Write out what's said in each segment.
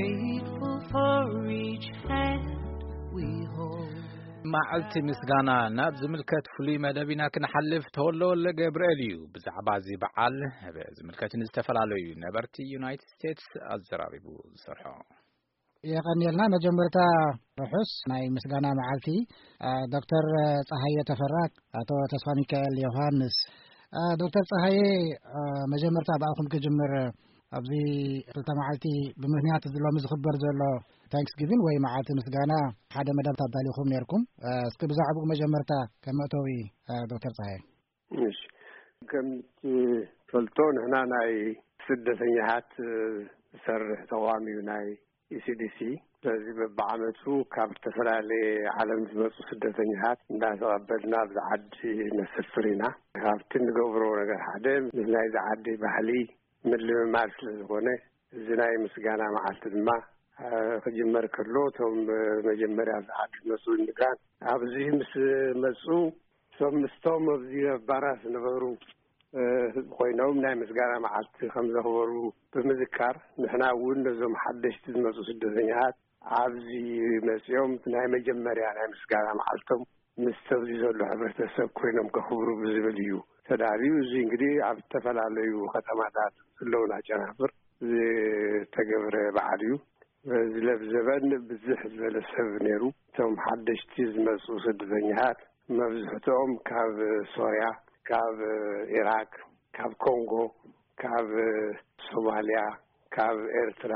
Grateful for each hand we hold. መዓልቲ ምስጋና ናብ ዝምልከት ፍሉይ መደብ ኢና ክንሓልፍ። ተወልደ ወልደ ገብርኤል እዩ ብዛዕባ እዚ በዓል ዝምልከት ንዝተፈላለዩ ነበርቲ ዩናይትድ ስቴትስ ኣዘራሪቡ ዝሰርሖ። የቐንየልና። መጀመርታ ርሑስ ናይ ምስጋና መዓልቲ። ዶክተር ፀሃየ ተፈራ፣ ኣቶ ተስፋ ሚካኤል ዮሃንስ። ዶክተር ፀሃየ፣ መጀመርታ ብኣኹም ክጅምር። ኣብዚ ክልተ መዓልቲ ብምኽንያት እዚ ሎሚ ዝኽበር ዘሎ ታንክስጊቪን ወይ መዓልቲ ምስጋና ሓደ መደብ ኣዳሊኹም ነይርኩም። እስኪ ብዛዕባኡ መጀመርታ ከም መእተዊ፣ ዶክተር ፀሃየ። እሺ፣ ከም ትፈልጦ ንሕና ናይ ስደተኛታት ዝሰርሕ ተቋም እዩ፣ ናይ ኢሲዲሲ። ስለዚ በብዓመቱ ካብ ዝተፈላለየ ዓለም ዝመፁ ስደተኛታት እንዳተቐበልና ኣብዚ ዓዲ ነሰፍር ኢና። ካብቲ እንገብሮ ነገር ሓደ ምስ ናይዚ ዓዲ ባህሊ ምልምማድ ስለ ዝኾነ፣ እዚ ናይ ምስጋና መዓልቲ ድማ ክጅመር ከሎ፣ እቶም መጀመርያ ኣብዚ ዓዲ ዝመፁ ኢሚግራንት ኣብዚ ምስ መፁ፣ እቶም ምስቶም ኣብዚ ኣብ ባራት ዝነበሩ ህዝቢ ኮይኖም ናይ ምስጋና መዓልቲ ከም ዘኽበሩ ብምዝካር፣ ንሕና እውን ነዞም ሓደሽቲ ዝመፁ ስደተኛታት ኣብዚ መፂኦም ናይ መጀመርያ ናይ ምስጋና መዓልቶም ምስቲ ኣብዚ ዘሎ ሕብረተሰብ ኮይኖም ከኽብሩ ብዝብል እዩ ተዳልዩ። እዚ እንግዲህ ኣብ ዝተፈላለዩ ከተማታት ዘለውና ጨናፍር ዝተገብረ በዓል እዩ። በዚ ለብዘበን ብዝሕ ዝበለ ሰብ ነይሩ። እቶም ሓደሽቲ ዝመፁ ስደተኛታት መብዝሕትኦም ካብ ሶርያ፣ ካብ ኢራቅ፣ ካብ ኮንጎ፣ ካብ ሶማልያ፣ ካብ ኤርትራ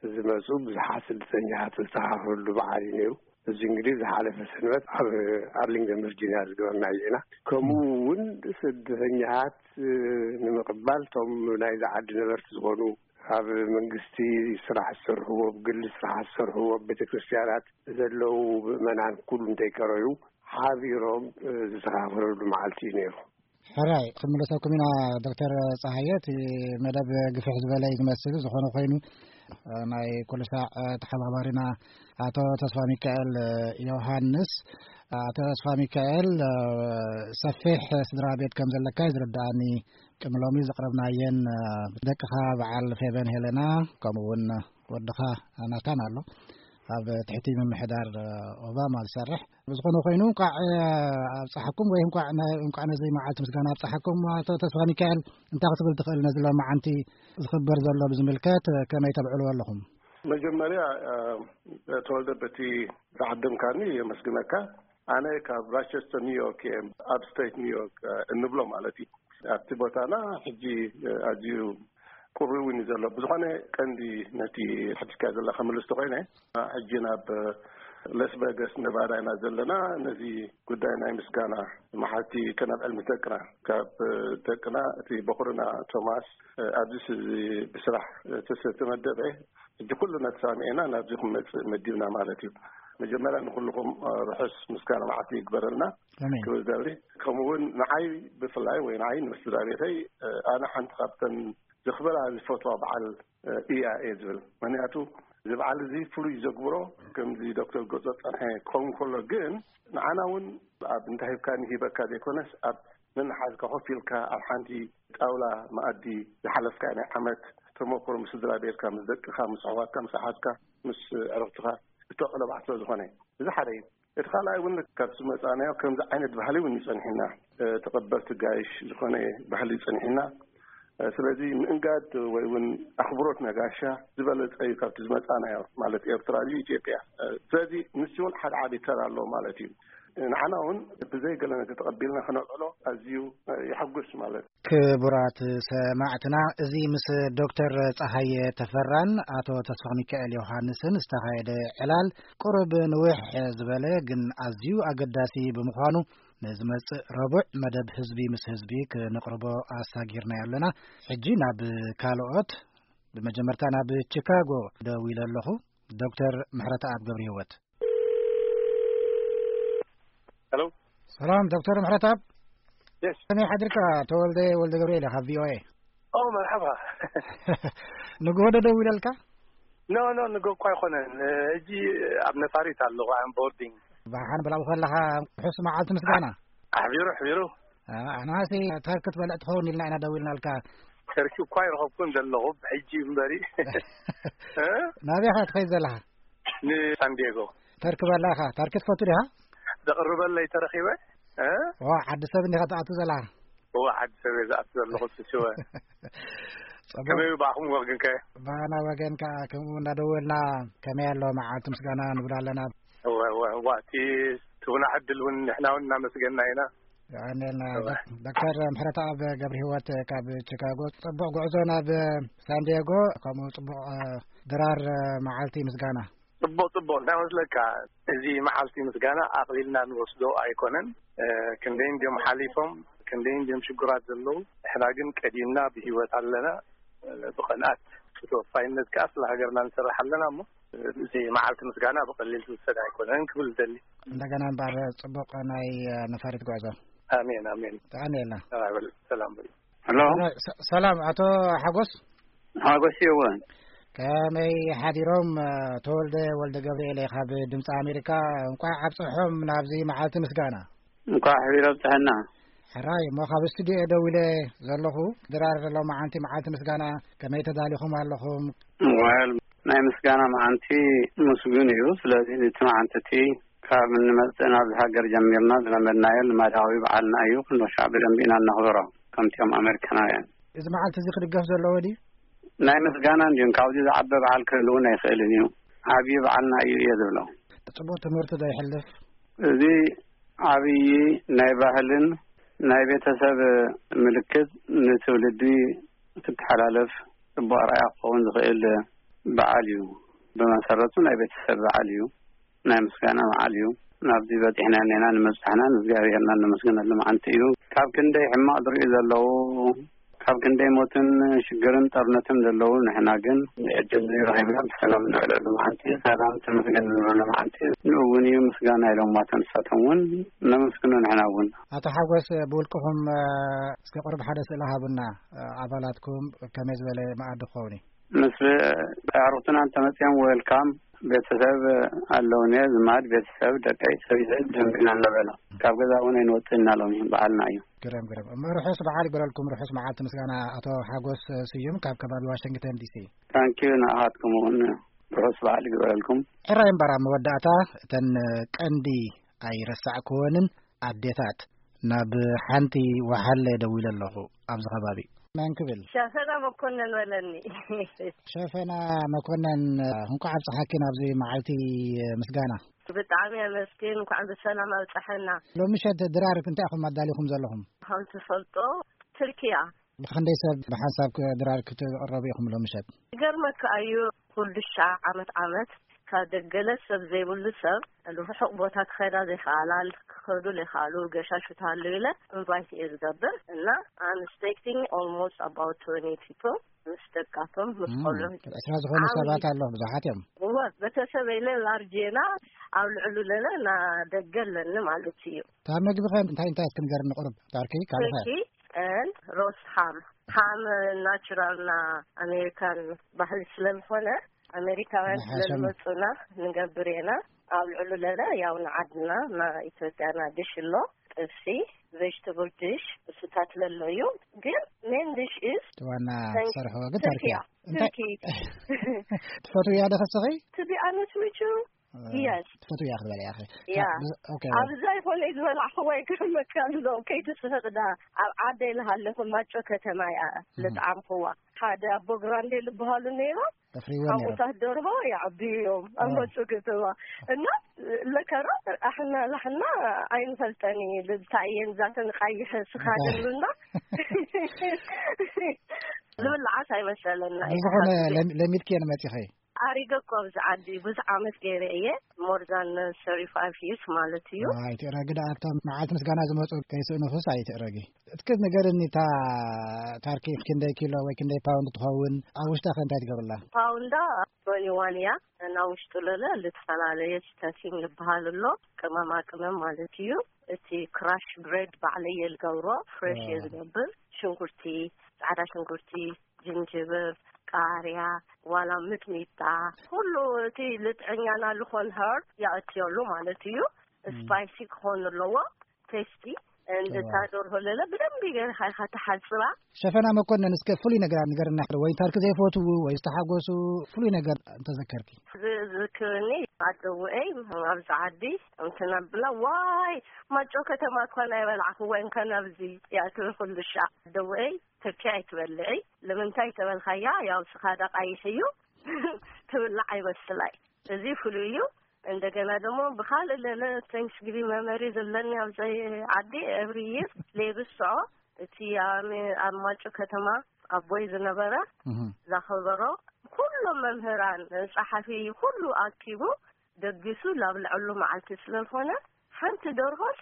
ዝመፁ ብዙሓት ስደተኛታት ዝተኻፈሉ በዓል እዩ ነይሩ። እዚ እንግዲህ ዝሓለፈ ሰንበት ኣብ ኣርሊንግተን ቨርጂኒያ ዝገበርናዮ ኢና። ከምኡ እውን ስደተኛታት ንምቕባል እቶም ናይዚ ዓዲ ነበርቲ ዝኾኑ፣ ኣብ መንግስቲ ስራሕ ዝሰርሕዎ፣ ብግሊ ስራሕ ዝሰርሕዎ፣ ኣብ ቤተክርስትያናት ዘለዉ ምእመናን ኩሉ እንተይቀረዩ ሓቢሮም ዝተኻፈለሉ መዓልቲ እዩ ነይሩ። ሕራይ፣ ክንምለሰኩም ኢና ዶክተር ጸሃየ። እቲ መደብ ግፍሕ ዝበለ እዩ ዝመስል። ዝኾነ ኮይኑ፣ ናይ ኩሉ ሳዕ ተሓባባሪና ኣቶ ተስፋ ሚካኤል ዮሃንስ። ኣቶ ተስፋ ሚካኤል፣ ሰፊሕ ስድራ ቤት ከም ዘለካ እዩ ዝርድኣኒ። ቅድሚ ሎሚ ዘቕረብናየን፣ ደቅኻ በዓል ፌበን ሄለና፣ ከምኡ እውን ወድኻ ናታን ኣሎ፣ ኣብ ትሕቲ ምምሕዳር ኦባማ ዝሰርሕ። ብዝኾነ ኮይኑ፣ እንኳዕ ኣብፀሓኩም ወይ እንኳዕ ነ-፣ እንኳዕ ነዚ መዓልቲ ምስጋና ኣብፀሓኩም። ኣቶ ተስፋ ሚካኤል፣ እንታይ ክትብል ትኽእል ነዚ ሎማዓንቲ ዝኽበር ዘሎ ብዝምልከት ከመይ ተብዕልዎ ኣለኹም? መጀመርያ፣ እ፣ ተወልደ፣ በቲ ዝዓደምካኒ የመስግነካ። ኣነ ካብ ራቸስተር ኒውዮርክ እየ፣ ኣብ ስቴት ኒውዮርክ፣ እ፣ እንብሎ ማለት እዩ። ኣብቲ ቦታና ሕጂ፣ እ፣ ኣዝዩ ቁሪ እውን እዩ ዘሎ። ብዝኾነ ቀንዲ ነቲ ሕድካ ዘለካ መልስ ተኮይነ፣ ሕጂ ናብ ለስ ቨጋስ ነቫዳ ኢና ዘለና። ነዚ ጉዳይ ናይ ምስጋና መዓልቲ ከነብዕል ምስ ደቅና፣ ካብ ደቅና እቲ በኩርና ቶማስ ኣብዚ ስ-፣ ብስራሕ ተሰ-፣ ተመደበ። ሕጂ ኩልና ተሳሚዕና ናብዚ ክመጽእ መዲብና ማለት እዩ። መጀመርያ ንኩልኹም ርሑስ ምስጋና መዓልቲ ይግበረልና ኣሜን። ክብል ደሊ። ከምኡ እውን ንዓይ ብፍላይ ወይ ንዓይ ንስድራ ቤተይ ኣነ ሓንቲ ካብተን ዘኽብራ ዝፈትዋ በዓል፣ እ፣ እያ እየ ዝብል። ምኽንያቱ እዚ በዓል እዚ ፍሉይ ዘግብሮ፣ ከምዚ ዶክተር ገልጾ ጸንሐ ክኸውን ከሎ፣ ግን ንዓና እውን ኣብ እንዳ ሂብካኒ ሂበካ ዘይኮነስ፣ ኣብ ነንሓዝካ ኮፍ ኢልካ ኣብ ሓንቲ ጣውላ መኣዲ ዝሓለፍካ ናይ ዓመት ተመክሮ ምስ ስድራ ቤትካ፣ ምስ ደቅኻ፣ ምስ ኣሕዋትካ፣ ምስ ኣሓትካ፣ ምስ ዕርኽትኻ እተዕሎ በዓል ስለ ዝኾነ፣ እዚ ሓደ እዩ። እቲ ካልኣይ እውን ካብቲ መጻናዮ ከምዚ ዓይነት ባህሊ እውን ይጸንሕና፣ እ፣ ተቐበልቲ ጋይሽ ዝኾነ ባህሊ ይጸንሕና። እ፣ ስለዚ ምእንጋድ ወይ እውን ኣኽብሮት ነጋሻ ዝበለጸ እዩ ካብቲ ዝመጻናዮ፣ ማለት ኤርትራ ድዩ ኢትዮጵያ። እ፣ ስለዚ ንሱ እውን ሓደ ዓቢ ተራ ኣለዎ ማለት እዩ። ንዓና እውን ብዘይ ገለ ነገር ተቐቢልና ክነውዕሎ ኣዝዩ፣ እ፣ የሐጉስ ማለት። ክቡራት ሰማዕትና፣ እዚ ምስ ዶክተር ጸሃየ ተፈራን ኣቶ ተስፋ ሚካኤል ዮሃንስን ዝተኻየደ ዕላል ቁሩብ ንውሕ ዝበለ ግን ኣዝዩ ኣገዳሲ ብምዃኑ፣ ንዝመጽእ ረቡዕ መደብ ህዝቢ ምስ ህዝቢ ክነቕርቦ ኣሳጊርናዮ ኣለና። ሕጂ ናብ ካልኦት፣ ብመጀመርታ ናብ ቺካጎ ደዊለ ኣለኹ። ዶክተር ምሕረተኣብ ገብረህይወት። ሄሎ። ሰላም ዶክተር ምሕረተኣብ። የስ። ከመይ ሓድርካ? ተወልደ ወልደ ገብርኤል ካብ ቪኦኤ። ኦ፣ መርሓባ። ንግሆ ዶ ደዊለልካ? ኖ፣ ኖ፣ ንግሆ እኳ ኣይኮነን። ሕጂ ኣብ ነፋሪት ኣለኹ፣ ኣም ቦርዲንግ። ብሓን ብላው ከለኻ ርሑስ መዓልቲ ምስጋና። ኣሕቢሩ፣ ኣሕቢሩ። አ፣ ኣናሲ እንታይ ክትበልዕ ትኸውን ኢልና ኢና ደዊልናልካ። ተርኪ እኳ ይረኸብኩን ዘለኹ ብሕጂ እምበሪ። እ? ናበይ ኢኻ ትኸይድ ዘለኻ? ንሳንዲየጎ። ተርኪ በላ ኢኻ? ተርኪ ትፈቱ ዲኻ? ዘቕርበለይ ተረኺበ። እ? ዋ፣ ዓዲ ሰብ እንዲኻ ትኣቱ ዘለኻ? እዋ፣ ዓዲ ሰብ እየ ዝኣቱ ዘለኹ፣ ስስወ። ጽቡቕ። ከመይ እዩ ብኣኹም ወግንከ? ብኣና ወገን ከኣ ከምኡ እናደወልና ከመይ ኣሎ መዓልቲ ምስጋና ንብል ኣለና። እወ፣ እወ፣ እዋ፣ እቲ ትቡና ዕድል እውን ንሕና እውን እናመስገና ኢና። የቐንየልና። እወ። ዶክ-፣ ዶክተር ምሕረተኣብ ገብረ ህይወት ካብ ቺካጎ፣ ጽቡቕ ጉዕዞ ናብ ሳንዲየጎ፣ ከምኡ ጽቡቕ፣ እ፣ ድራር፣ እ፣ መዓልቲ ምስጋና። ጽቡቕ፣ ጽቡቕ። እንታይ መስለካ፣ እዚ መዓልቲ ምስጋና ኣቕሊልና ንወስዶ ኣይኮነን። እ፣ ክንደይ እንድዮም ሓሊፎም፣ ክንደይ እንድዮም ሽጉራት ዘለዉ። ንሕና ግን ቀዲምና ብህይወት ኣለና። እ፣ ብቕንኣት፣ ብተወፋይነት ከኣ ስለ ሃገርና ንሰርሕ ኣለና እሞ፣ እ፣ እዚ መዓልቲ ምስጋና ብቐሊል ዝውሰድ ኣይኮነን ክብል ዝደሊ። እንደገና እምበኣር ጽቡቕ ናይ፣ እ፣ ነፋሪት ጉዕዞ። ኣሜን፣ ኣሜን። ተቐንየልና። ሰላም በል፣ ሰላም በል። ሄሎ። ሰላም፣ ሰ-፣ ሰላም ኣቶ ሓጎስ። ሓጎስ ይወ። ከመይ ሓዲሮም? ተወልደ ወልደ ገብርኤል እየ ካብ ድምፂ ኣሜሪካ። እንቋዕ ኣብፀሖም ናብዚ መዓልቲ ምስጋና። እንቋዕ ሕቢር ኣብፀሐና። ሕራይ እሞ ካብ ስቱዲዮ እየ ደዊለ ዘለኹ። ድራር ሎማዓንቲ መዓልቲ ምስጋና ከመይ ተዳሊኹም ኣለኹም? ወል ናይ ምስጋና መዓንቲ ምስጉን እዩ። ስለዚ እቲ መዓንቲ እቲ ካብ እንመጽእ ናብዚ ሃገር ጀሚርና ዝለመድናዮ ልማዳዊ በዓልና እዩ። ኩሉ ሻዕ ብደንቢ ኢና እነኽብሮ ከምቲኦም ኣሜሪካናውያን። እዚ መዓልቲ እዚ ክድገፍ ዘለዎ ድዩ? ናይ ምስጋና እንድዩ። ካብዚ ዝዓበ በዓል ክህልውን ኣይኽእልን እዩ። ዓብዪ በዓልና እዩ እየ ዝብሎ። ጽቡቕ ትምህርቲ ዶ ይሕልፍ? እዚ ዓብዪ ናይ ባህልን ናይ ቤተሰብ ምልክት ንትውልዲ ክትሓላለፍ ጽቡቕ ኣርኣያ ክኸውን ዝኽእል በዓል እዩ። ብመሰረቱ ናይ ቤተሰብ በዓል እዩ። ናይ ምስጋና በዓል እዩ። ናብዚ በጺሕና እኔና ንምብጻሕና ንእግዚኣብሔርና እነመስግነሉ መዓልቲ እዩ። ካብ ክንደይ ሕማቕ ዝርእዩ ዘለዉ፣ ካብ ክንደይ ሞትን ሽግርን ጦርነትን ዘለዉ፣ ንሕና ግን ዕድል ረኺብና ብሰላም ንዕለሉ መዓልቲ፣ ሰላም ተመስገን ንብለሉ መዓልቲ። ንኡ እውን እዩ ምስጋና ኢሎም ዋታ ንሳቶም እውን ነመስግኖ ንሕና እውን። ኣቶ ሓጎስ፣ ብውልቅኹም፣ እ፣ እስከ ቁሩብ ሓደ ስእሊ ሃቡና፣ እ፣ ኣባላትኩም ከመይ ዝበለ መኣዲ ክኸውን እዩ? ምስ ኣዕሩኽትና እንተመጺኦም ዌልካም፣ ቤተሰብ ኣለውኒ፣ ዝማድ ቤተሰብ፣ ደቀይ፣ ሰብይተይ ደንቢና እናበላ። ካብ ገዛ እውን ኣይንወጽእ እናሎም እዩ፣ በዓልና እዩ። ግርም፣ ግርም። እሞ ርሑስ በዓል ይግበረልኩም፣ ርሑስ መዓልቲ ምስጋና ኣቶ ሓጎስ ስዩም ካብ ከባቢ ዋሽንግተን ዲሲ። ታንኪዩ፣ ንኣኻትኩም እውን ርሑስ በዓል ይግበረልኩም። ሕራይ እምበር ኣብ መወዳእታ እተን ቀንዲ ኣይረሳዕክወንን ኣዴታት ናብ ሓንቲ ወሓለ ደዊለ ኣለኹ ኣብዚ ከባቢ። መን ክብል? ሸፈና መኮነን በለኒ። ሸፈና መኮነን፣ እንኳዕ ኣብጽሓኪ ናብዚ መዓልቲ ምስጋና። ብጣዕሚ ኣመስግን፣ እንኳዕ ብሰላም ኣብጽሐና። ሎሚ ምሸት ድራር እንታይ ኢኹም ኣዳሊኹም ዘለኹም? ከም ትፈልጦ ትርኪያ። ብኽንደይ ሰብ ብሓንሳብ ክ-፣ ድራር ክትቕረቡ ኢኹም ሎሚ ምሸት? ይገርመካ እዩ፣ ኩሉ ሻዕ ዓመት ዓመት ካብ ደገለ ሰብ ዘይብሉ ሰብ ርሑቕ ቦታ ክኸዳ ዘይከኣላ፣ ክኸዱ ዘይከኣሉ ገሻሹ ተሃለዩ ኢለ ኢንቫይት እየ ዝገብር እና I'm expecting almost about twenty people ምስ ደቃቶም፣ ምስ እም፣ ቆልዑ። ዕስራ ዝኾኑ ዓብዪ ሰባት ኣለዉ፣ ብዙሓት እዮም። እወ፣ ቤተሰብ ኢለ ላርጅ ኢና፣ ኣብ ልዕሉ ለለ እና ደገ ኣለኒ ማለት እዩ። እታ ምግቢ ኸ እንታይ እንታይ እስኪ ንገርኒ ቁሩብ? ታርኪ፣ ካልእ ኸ? ቱርኪ and ሮስት ሃም። ሃም ናቹራል ና ኣሜሪካን ባህሊ ስለ ዝኾነ ኣሜሪካውያን ስለ ዝሓሸና። ዝመጹና ንገብር ኢና። ኣብ ልዕሉ ለለ ያው ንዓድና ና ኢትዮጵያ ና ድሽ ኣሎ፣ ጥብሲ፣ ቬጅተብል ድሽ፣ እሱታት ለሎ እዩ። ግን ሜን ድሽ ኢዝ እቲ ዋና ተንክ-፣ ትሰርሕዎ ግን ተርኪ እያ። እንታይ ትርኪ። ትፈትውያ ዶ ከስኺ? To be honest with you, እ፣ yes። ትፈትውያ ክትበልያ ኢኺ። ያ። ካ-፣ ብዝ-፣ ኦኬ። ኣብዛ ይኾነ ዝበላዕኽዋ ይገርመካ ኣሎ። ከይትስሕቕ ዳ፣ ኣብ ዓደይ ልሃለኹ ማጮ ከተማ እያ እም። ልጥዓምኽዋ። ሓደ ኣቦ ግራንዴ ልበሃሉ ነይሮም። ተፍርይዎ ነይሮም። ሓሙታት ደርሆ ይዓብዩ እዮም ኣብ ኦ። ማጮ ከተማ። እና ለከራ ኣሕና ላሕና ኣይንፈልጠን እዩ። ልታይ እየን ዛተን ቃይሐ ስኻ እንታይ? ደሉና። ዝብላዓስ ኣይመሰለና እዩ። ብዝኾነ ሓቂ። ለም-፣ ለሚድኪ እየን መጺኺ? ኣሪገ እኮ ኣብዚ ዓዲ ብዙሕ ዓመት ገይረ እየ። More than thirty-five years ማለት እዩ። ኣይትእረጊ ደኣ፣ እቶም መዓልቲ ምስጋና ዝመጹ ከይስእኑኽስ ኣይትእረጊ። እስኪ ንገርኒ፣ እታ ታርኪ ክንደይ ኪሎ ወይ ክንደይ ፓውንድ ትኸውን? ኣብ ውሽጣ ከ እንታይ ትገብርላ? ፓውንዳ twenty-one እያ። እና ውሽጡ ለለ ልትፈላለየ ስተፊንግ ዝበሃል ኣሎ፣ ቅመማ ቅመም ማለት እዩ። እቲ ክራሽ ብሬድ ባዕለየ ልገብሮ፣ ፍሬሽ እየ ዋው። ዝገብር። ሽንኩርቲ፣ ጻዕዳ ሽንኩርቲ፣ ጅንጅብር፣ ቃርያ፣ ዋላ ምጥሚጣ፣ ኩሉ እቲ ልጥዕኛና ልኾን ሀርብ የእትየሉ ማለት እዩ። እም። ስፓይሲ ክኾን ኣለዎ፣ ቴስቲ። እንድታ ደርሆ ለለ ብደንብ ገርካ ኢኻ ትሓጽባ። ሸፈና መኮነን፣ እስከ ፍሉይ ነገር ንገርና፣ ወይ ታርክ ዘይፈትዉ ወይ ዝተሓጎሱ ፍሉይ ነገር እንተዘከርኪ። ዝዝክርኒ ኣደውኤይ ኣብዚ ዓዲ እንትነብላ፣ ዋይ ማጮ ከተማ እኳ ናይ በላዕኽዋ እንከ ናብዚ እያ ትብል ኩሉ ሻዕ። ኣደውኤይ፣ ተኪ ኣይትበልዒ፣ ለምንታይ ተበልካያ፣ ያው ስኻ ደቃይሕ እዩ ትብላዕ ኣይመስላይ። እዚ ፍሉይ እዩ። እንደገና ደግሞ ብኻልእ ለለ ቴንክስጊቪንግ መመሪ ዘለኒ ኣብዚ ዓዲ ኤቭሪ ይር ሌብስ ስዖ እቲ ኣብ ኣብ ማጩ ከተማ ኣቦይ ዝነበረ እህ። ዛኸበሮ ኩሎም መምህራን ጸሓፊ ኩሉ ኣኪቡ ደጊሱ ላብ ልዕሉ መዓልቲ ስለዝኾነ ሓንቲ ደርሆስ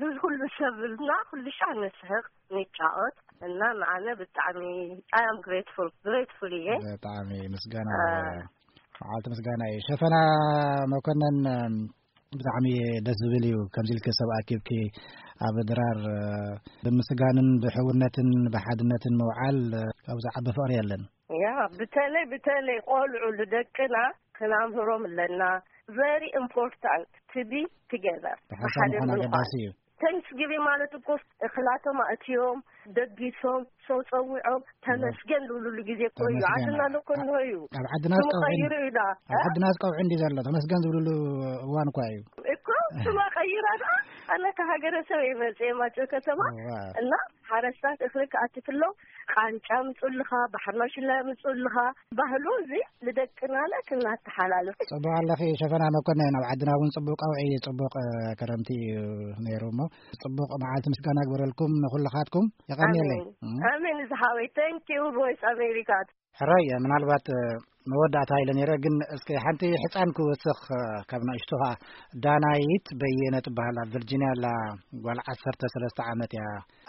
ንኩሉ ሰብልና ኩሉ ሻዕ ንስሕቕ ንጫወት እና ንዓነ ብጣዕሚ I am grateful grateful እየ። ብጣዕሚ ምስጋና አ፣ መዓልቲ ምስጋና እዩ። ሸፈና መኮነን፣ እም፣ ብጣዕሚ ደስ ዝብል እዩ። ከምዚ ኢልኪ ሰብ ኣኪብኪ ኣብ ድራር፣ እ፣ ብምስጋንን ብሕውነትን ብሓድነትን ምውዓል፣ እ፣ ካብኡ ዝዓቢ ፍቕሪ የለን። ያ፣ ብተለይ፣ ብተለይ ቆልዑ ንደቅና ክናምህሮም ኣለና። Very important to be together። ብሓንሳብ ብሓደ ምዃን ምዃን። ኣገዳሲ እዩ። ቴንክስጊቪንግ ማለት እኮ እኽላቶም ኣእትዮም፣ ደጊሶም፣ ሰው ጸዊዖም፣ ተመስገን ዝብሉሉ ግዜ እኮ እዩ። ተመስገን። ዓድና እኮ እንሆ እዩ። ኣብ ዓድና ስሙ ዝቀውዒ ቀይሩ እዩ ዳ። ኣብ እ? ዓድና ዝቀውዒ እንዲ ዘሎ ተመስገን ዝብሉሉ እዋን እኳ እዩ። እኮ ስማ ቀይራ ዳ። ኣነ ካብ ሃገረ ሰብ እየ መጽየ ማጨው ከተማ። እዋ። እና ሓረስታት እኽሊ ክኣትፍሎም ቃንጫ ምጽልኻ፣ ባሕሪ ማሽላ ምጽልኻ። ባህሉ እዚ ንደቅና ለ ክናተሓላልፍ። ጽቡቕ ኣለኺ ሸፈና መኮነን፣ ኣብ ዓድና እውን ጽቡቕ ቀውዒ፣ ጽቡቕ፣ እ፣ ክረምቲ እዩ ነይሩ እሞ፣ ጽቡቕ መዓልቲ ምስጋና ግበረልኩም ንኹልኻትኩም። የቐንየለይ። ኣሜን። እም። ኣሜን ዝሓወይ። Thank you Voice America። ሕራይ፣ ምናልባት፣ እ፣ መወዳእታ ኢለ ነይረ፣ ግን እስኪ ሓንቲ ሕጻን ክወስኽ፣ እ፣ ካብ ንእሽቶ ኸኣ ዳናይት በየነ ትበሃል፣ ኣብ ቨርጂንያ ኣላ፣ ጓል ዓሰርተ ሰለስተ ዓመት እያ።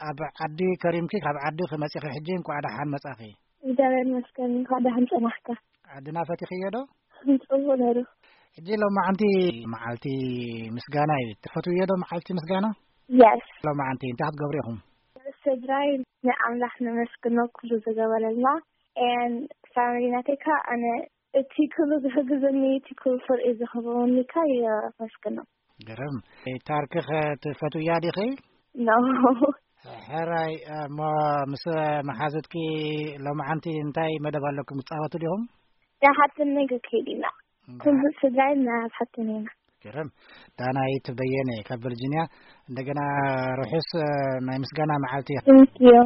ኣብ ዓዲ ከሪምኪ፣ ካብ ዓዲ ክመጺኺ ሕጂ እንኳዕ ደሓን መጻኺ። እግዚኣብሔር ይመስገን፣ እንኳዕ ደሓን ጸናሕካ። ዓድና ፈቲኽዮ ዶ? ጽቡቕ ነይሩ። ሕጂ ሎማዓንቲ መዓልቲ ምስጋና እዩ። ትፈትውዮ ዶ መዓልቲ ምስጋና? የስ። ሎማዓንቲ እንታይ ክትገብሩ ኢኹም? ስድራይ ንኣምላኽ ነመስግኖ፣ ኩሉ ዝገበረልና። ኤን ፋሚሊ ናተይ ከኣ ኣነ እቲ ኩሉ ዝሕግዘኒ፣ እቲ ኩሉ ፍርቂ ዝህበኒ ከኣ የመስግኖ። ግርም። ታርክኸ ትፈትውያ ዲኺ? ኖ። ሕራይ፣ እሞ ምስ መሓዙትኪ ሎማዓንቲ እንታይ መደብ ኣለኩም? ትጻወቱ ዲኹም? ንሓፍተይ ገ ከይድ ኢና። እንዳ- ኩሉ ስድራይ ናብ ሓፍተይ ኢና። ግርም። ዳናይት በየነ ካብ ቨርጂንያ፣ እንደገና ርሑስ፣ እ፣ ናይ ምስጋና መዓልቲ። Thank you።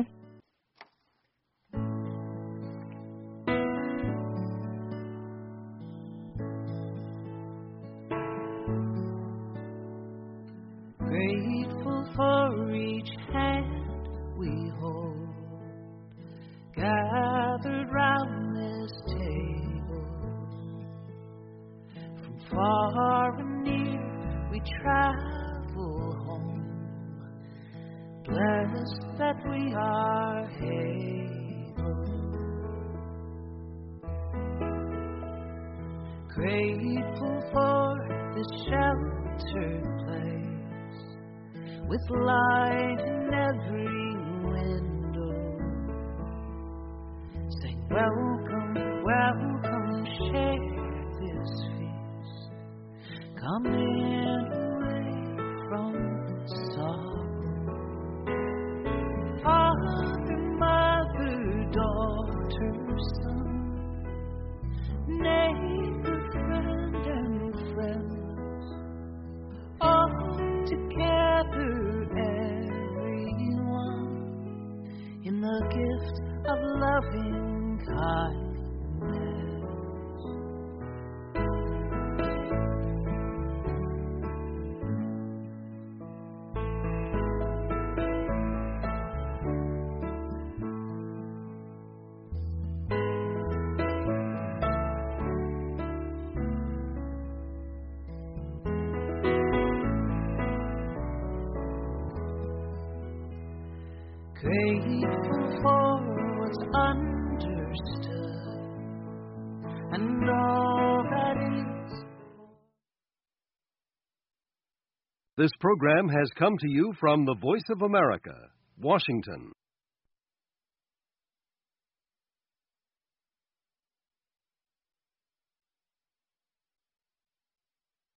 Grateful for each hand we hold, gathered round this table. From far and near we travel home, blessed that we are able. Grateful for this sheltered place with light in every window. Say, "Welcome, welcome, share this feast. Come in away from sorrow." Father, mother, daughter, son, neighbor, friend, and friends, all together, everyone, in the gift of loving kindness. Grateful for what's understood and all that is. This program has come to you from the Voice of America, Washington.